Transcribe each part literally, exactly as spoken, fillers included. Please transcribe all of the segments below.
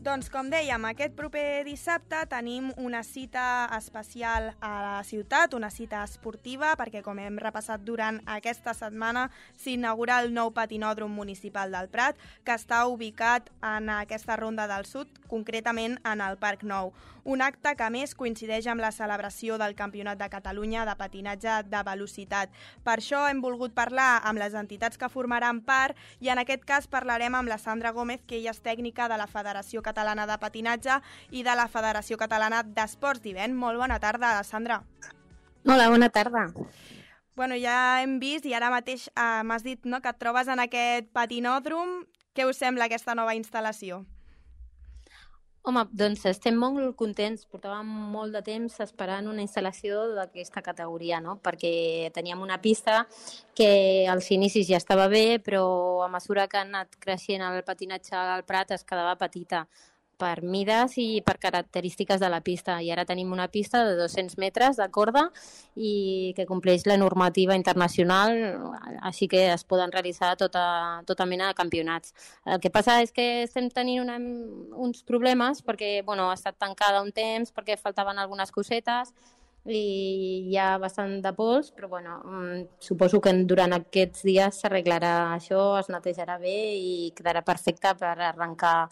Doncs, com dèiem, aquest proper dissabte tenim una cita especial a la ciutat, una cita esportiva, perquè, com hem repassat durant aquesta setmana, s'inaugura el nou patinòdrom municipal del Prat, que està ubicat en aquesta ronda del sud, concretament en el Parc Nou. Un acte que, a més, coincideix amb la celebració del Campionat de Catalunya de patinatge de velocitat. Per això hem volgut parlar amb les entitats que formaran part i, en aquest cas, parlarem amb la Sandra Gómez, que ella és tècnica de la Federació Catalana de Patinatge i de la Federació Catalana d'Esports d'Hivern. Molt bona tarda, Sandra. Hola, bona tarda. Bueno, ja hem vist i ara mateix eh, m'has dit, no, que et trobes en aquest patinòdrom. Què us sembla aquesta nova instal·lació? Home, doncs estem molt contents. Portàvem molt de temps esperant una instal·lació d'aquesta categoria, no? Perquè teníem una pista que als inicis ja estava bé, però a mesura que ha anat creixent el patinatge al Prat es quedava petita per mides i per característiques de la pista. I ara tenim una pista de dos-cents metres de corda i que compleix la normativa internacional, així que es poden realitzar tota, tota mena de campionats. El que passa és que estem tenint una, uns problemes perquè bueno, ha estat tancada un temps, perquè faltaven algunes cosetes i hi ha bastant de pols, però bueno, suposo que durant aquests dies s'arreglarà això, es netejarà bé i quedarà perfecte per arrencar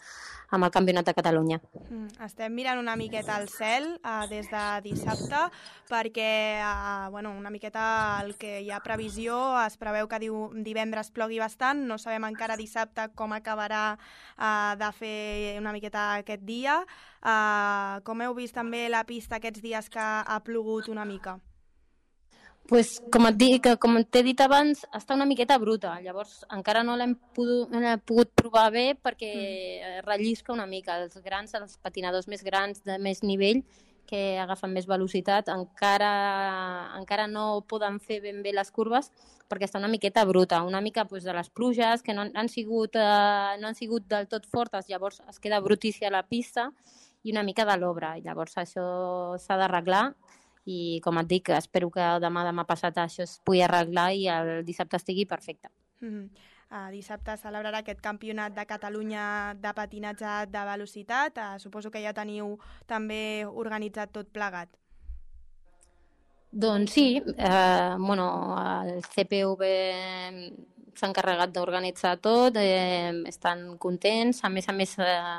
amb el Campionat de Catalunya. Mm, estem mirant una miqueta al cel uh, des de dissabte perquè uh, bueno, una miqueta el que hi ha previsió, es preveu que diu, divendres plogui bastant, no sabem encara dissabte com acabarà uh, de fer una miqueta aquest dia. Uh, com heu vist també la pista aquests dies que ha plogut una mica? Pues, com et dic, com t'he dit abans, està una miqueta bruta, llavors encara no l'hem pogut, no pogut provar bé perquè mm. rellisca una mica. Els grans, els patinadors més grans, de més nivell, que agafen més velocitat, encara, encara no poden fer ben bé les curves perquè està una miqueta bruta, una mica pues, de les pluges que no han, sigut, eh, no han sigut del tot fortes, llavors es queda brutícia la pista i una mica de l'obra, llavors això s'ha d'arreglar. I, com et dic, espero que demà, demà passat això es pugui arreglar i el dissabte estigui perfecte. Mm-hmm. Uh, dissabte celebrarà aquest campionat de Catalunya de patinatge de velocitat. Uh, suposo que ja teniu també organitzat tot plegat. Doncs sí, eh, bueno, el C P V s'ha encarregat d'organitzar tot, eh, estan contents, a més a més eh,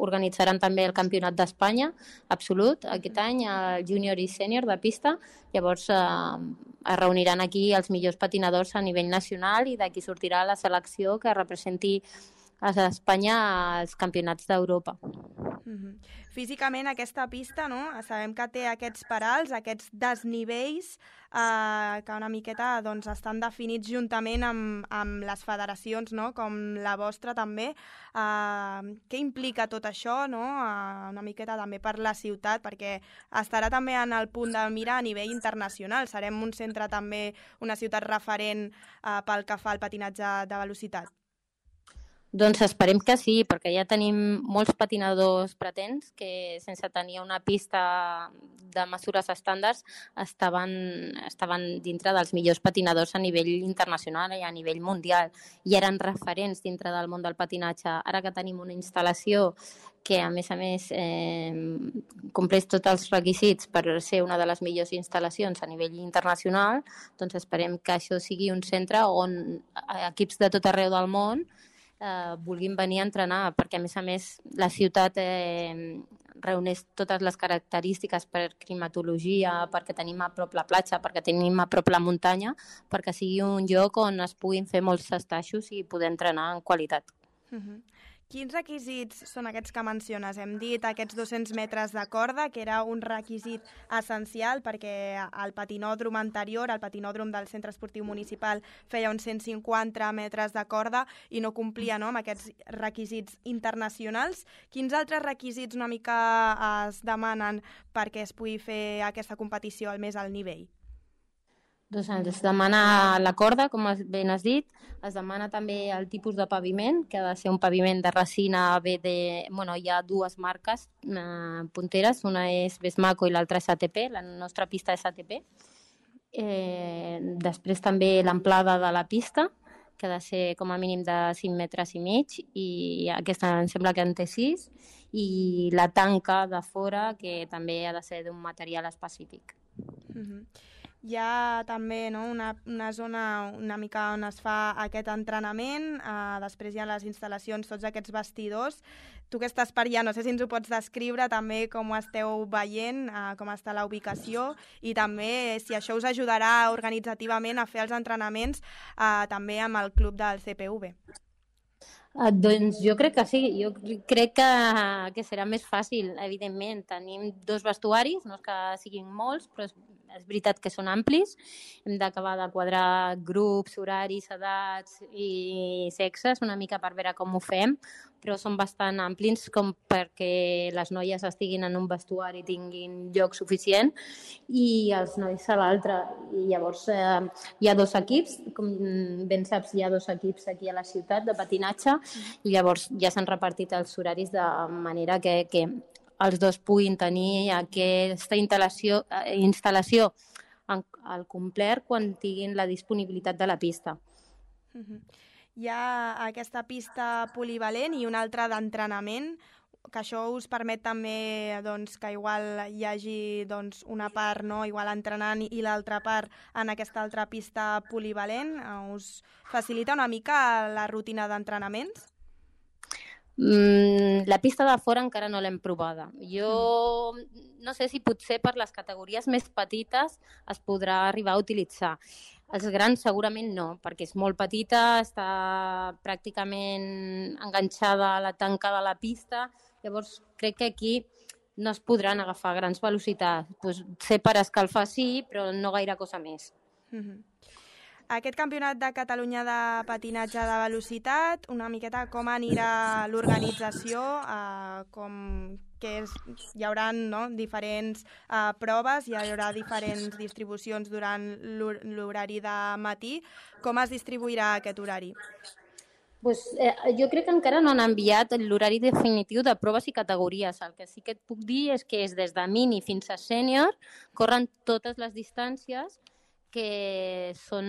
organitzaran també el Campionat d'Espanya absolut aquest any, el júnior i sènior de pista, llavors eh, es reuniran aquí els millors patinadors a nivell nacional i d'aquí sortirà la selecció que representi a Espanya als campionats d'Europa. Mm-hmm. Físicament aquesta pista, no? Sabem que té aquests parals, aquests desnivells eh, que una miqueta doncs, estan definits juntament amb, amb les federacions, no? Com la vostra també. Eh, què implica tot això, no? Eh, una miqueta també per la ciutat, perquè estarà també en el punt de mira a nivell internacional. Serem un centre també, una ciutat referent eh, pel que fa al patinatge de velocitat. Doncs esperem que sí, perquè ja tenim molts patinadors pretens que sense tenir una pista de mesures estàndards estaven, estaven dintre dels millors patinadors a nivell internacional i a nivell mundial i eren referents dintre del món del patinatge. Ara que tenim una instal·lació que a més a més eh, compleix tots els requisits per ser una de les millors instal·lacions a nivell internacional, doncs esperem que això sigui un centre on equips de tot arreu del món Eh, vulguin venir a entrenar, perquè a més a més la ciutat eh, reuneix totes les característiques per climatologia, perquè tenim a prop la platja, perquè tenim a prop la muntanya, perquè sigui un lloc on es puguin fer molts estatxos i poder entrenar en qualitat. Uh-huh. Quins requisits són aquests que menciones? Hem dit aquests dos-cents metres de corda, que era un requisit essencial perquè el patinòdrom anterior, el patinòdrom del Centre Esportiu Municipal, feia uns cent cinquanta metres de corda i no complia, no, amb aquests requisits internacionals. Quins altres requisits una mica es demanen perquè es pugui fer aquesta competició al més alt nivell? Doncs es demana la corda, com ben has dit, es demana també el tipus de paviment, que ha de ser un paviment de resina B D... Bueno, hi ha dues marques eh, punteres, una és Besmaco i l'altra és A T P, la nostra pista és A T P. Eh, després també l'amplada de la pista, que ha de ser com a mínim de cinc metres i mig, i aquesta em sembla que en té sis, i la tanca de fora, que també ha de ser d'un material específic. Mm-hmm. Hi ha també, no, una, una zona una mica on es fa aquest entrenament, eh, després hi ha les instal·lacions, tots aquests vestidors. Tu que estàs per allà, no sé si ens ho pots descriure també com ho esteu veient, eh, com està la ubicació, i també si això us ajudarà organitzativament a fer els entrenaments eh, també amb el club del C P V. Uh, doncs jo crec que sí, jo crec que, que serà més fàcil, evidentment. Tenim dos vestuaris, no és que siguin molts, però és, és veritat que són amplis. Hem d'acabar de quadrar grups, horaris, edats i sexes, una mica per veure com ho fem, però són bastant amplis com perquè les noies estiguin en un vestuari i tinguin lloc suficient i els nois a l'altre. I llavors eh, hi ha dos equips, com ben saps, hi ha dos equips aquí a la ciutat de patinatge, i llavors ja s'han repartit els horaris de manera que, que els dos puguin tenir aquesta instal·lació, instal·lació al complet quan tinguin la disponibilitat de la pista. Mm-hmm. Hi ha aquesta pista polivalent i una altra d'entrenament, que això us permet també doncs, que igual hi hagi doncs, una part no, igual entrenant i l'altra part en aquesta altra pista polivalent. Us facilita una mica la rutina d'entrenaments? Mm, la pista de fora encara no l'hem provada. Jo no sé si potser per les categories més petites es podrà arribar a utilitzar. Els grans segurament no, perquè és molt petita, està pràcticament enganxada a la tanca de la pista, llavors crec que aquí no es podran agafar grans velocitats. Pues, sé per escalfar sí, però no gaire cosa més. Mm-hmm. Aquest campionat de Catalunya de patinatge de velocitat, una miqueta com anirà l'organització, eh, com que és, hi haurà no, diferents eh, proves, hi haurà diferents distribucions durant l'horari de matí. Com es distribuirà aquest horari? Pues, eh, jo crec que encara no han enviat l'horari definitiu de proves i categories. El que sí que et puc dir és que és des de mini fins a sènior, corren totes les distàncies que són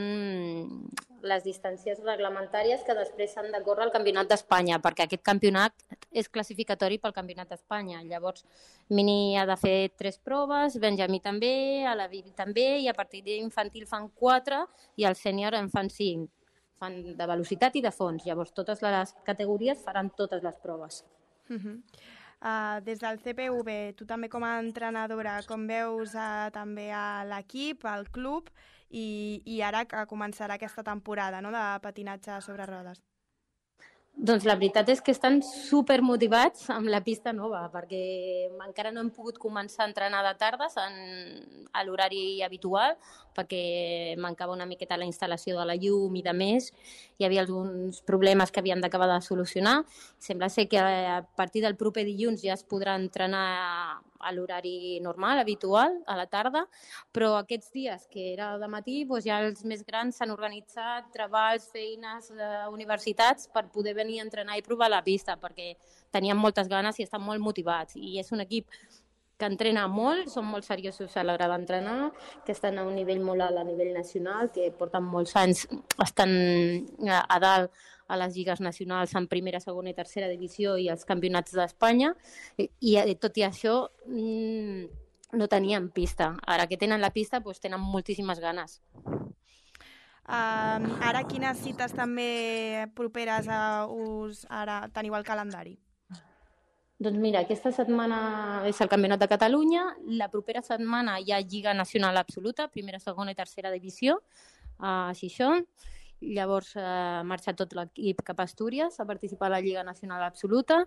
les distàncies reglamentàries que després s'han de córrer al Campionat d'Espanya, perquè aquest campionat és classificatori pel Campionat d'Espanya. Llavors, mini ha de fer tres proves, Benjamí també, a la Vivi també, i a partir d'infantil fan quatre i al sènior en fan cinc. Fan de velocitat i de fons. Llavors, totes les categories faran totes les proves. Uh-huh. Uh, des del C P V, tu també com a entrenadora, com veus uh, també a l'equip, al club, i, i ara que començarà aquesta temporada no, de patinatge sobre rodes? Doncs la veritat és que estan supermotivats amb la pista nova, perquè encara no hem pogut començar a entrenar de tardes en, a l'horari habitual, perquè mancava una miqueta la instal·lació de la llum i de més. Hi havia alguns problemes que havien d'acabar de solucionar. Sembla ser que a partir del proper dilluns ja es podrà entrenar a l'horari normal, habitual, a la tarda, però aquests dies que era de matí, doncs ja els més grans s'han organitzat treballs, feines, eh, universitats per poder venir a entrenar i provar la pista, perquè tenien moltes ganes i estan molt motivats. I és un equip que entrena molt, són molt seriosos a l'hora d'entrenar, que estan a un nivell molt alt a nivell nacional, que porten molts anys, estan a dalt a les lligues nacionals en primera, segona i tercera divisió i als campionats d'Espanya, i, i tot i això mmm, no tenien pista. Ara que tenen la pista, doncs tenen moltíssimes ganes. Um, ara quines cites també properes a us ara teniu al calendari? Doncs mira, aquesta setmana és el Campionat de Catalunya, la propera setmana hi ha Lliga Nacional Absoluta, primera, segona i tercera divisió, a Xixón. Llavors eh, ha marxat tot l'equip cap a Astúries a participar a la Lliga Nacional Absoluta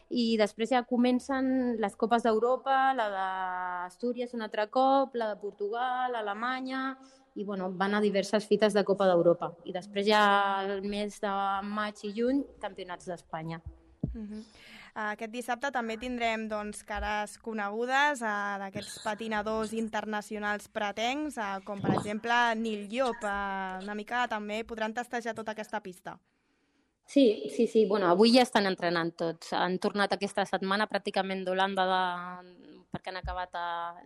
i després ja comencen les Copes d'Europa, la d'Astúries un altre cop, la de Portugal, Alemanya, i bueno, van a diverses fites de Copa d'Europa. I després ja el mes de maig i juny, campionats d'Espanya. Uh-huh. Aquest dissabte també tindrem doncs, cares conegudes uh, d'aquests patinadors internacionals pretencs, uh, com per exemple Nil Llop. Uh, una mica també podran testejar tota aquesta pista. Sí, sí, sí. Bueno, avui ja estan entrenant tots. Han tornat aquesta setmana pràcticament d'Holanda de... perquè han acabat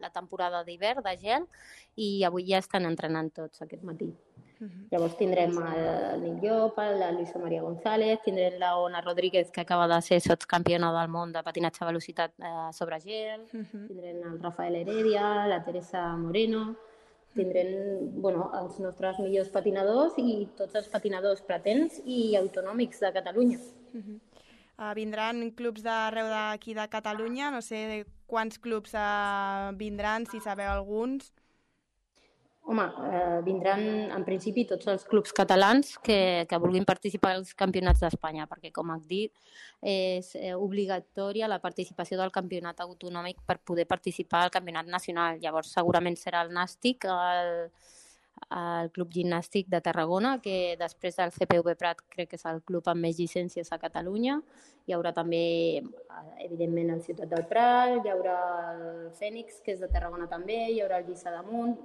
la temporada d'hivern, de gel, i avui ja estan entrenant tots aquest matí. Uh-huh. Llavors tindrem el Nil Llop, la Luisa Maria González, tindrem la Ona Rodríguez, que acaba de ser sotscampiona del món de patinatge a velocitat eh, sobre gel, uh-huh. tindrem el Rafael Heredia, la Teresa Moreno, tindrem bueno, els nostres millors patinadors i tots els patinadors pretens i autonòmics de Catalunya. Uh-huh. Uh, vindran clubs d'arreu d'aquí de Catalunya, no sé quants clubs uh, vindran, si sabeu alguns. Home, eh, vindran en principi tots els clubs catalans que, que vulguin participar als campionats d'Espanya, perquè, com et dic, és obligatòria la participació del campionat autonòmic per poder participar al campionat nacional. Llavors, segurament serà el Nàstic, el, el Club Gimnàstic de Tarragona, que després del C P V Prat crec que és el club amb més llicències a Catalunya. Hi haurà també, evidentment, el Ciutat del Prat, hi haurà el Fènix, que és de Tarragona també, hi haurà el Lliçà d'Amunt,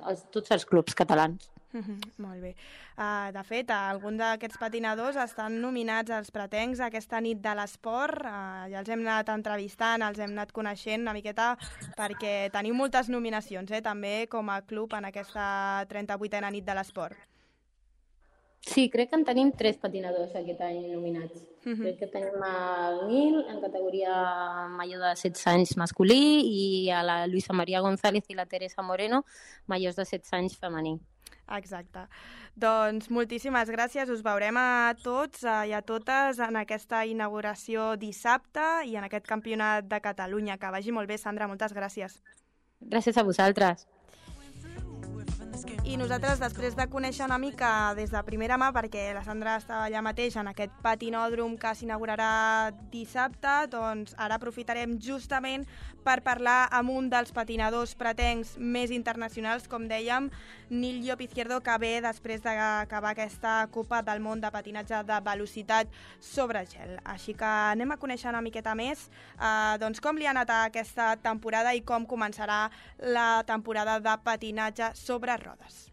els, tots els clubs catalans. Uh-huh, molt bé. Uh, de fet, alguns d'aquests patinadors estan nominats als pretencs aquesta nit de l'esport. Uh, ja els hem anat entrevistant, els hem anat coneixent una miqueta, perquè teniu moltes nominacions, eh, també com a club en aquesta trenta-vuitena nit de l'esport. Sí, crec que en tenim tres patinadors aquest any nominats. Uh-huh. Crec que tenim el Nil en categoria major de setze anys masculí i a la Luisa Maria González i la Teresa Moreno majors de setze anys femení. Exacte. Doncs moltíssimes gràcies. Us veurem a tots i a totes en aquesta inauguració dissabte i en aquest campionat de Catalunya. Que vagi molt bé, Sandra. Moltes gràcies. Gràcies a vosaltres. I nosaltres, després de conèixer una mica des de primera mà, perquè la Sandra estava allà mateix en aquest patinòdrom que s'inaugurarà dissabte, doncs ara aprofitarem justament per parlar amb un dels patinadors pretencs més internacionals, com dèiem, Nil Llop Izquierdo, que ve després d'acabar aquesta Copa del Món de patinatge de velocitat sobre gel. Així que anem a conèixer una miqueta més eh, doncs com li ha anat aquesta temporada i com començarà la temporada de patinatge sobre rodes.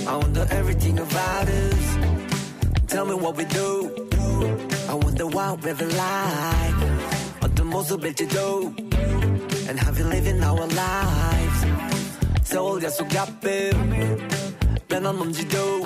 I wonder everything about us. Tell me what we do. I wonder what we're like. 어떤 모습일지도. And have you living our lives? 세월 약속 앞에 변한 몸지도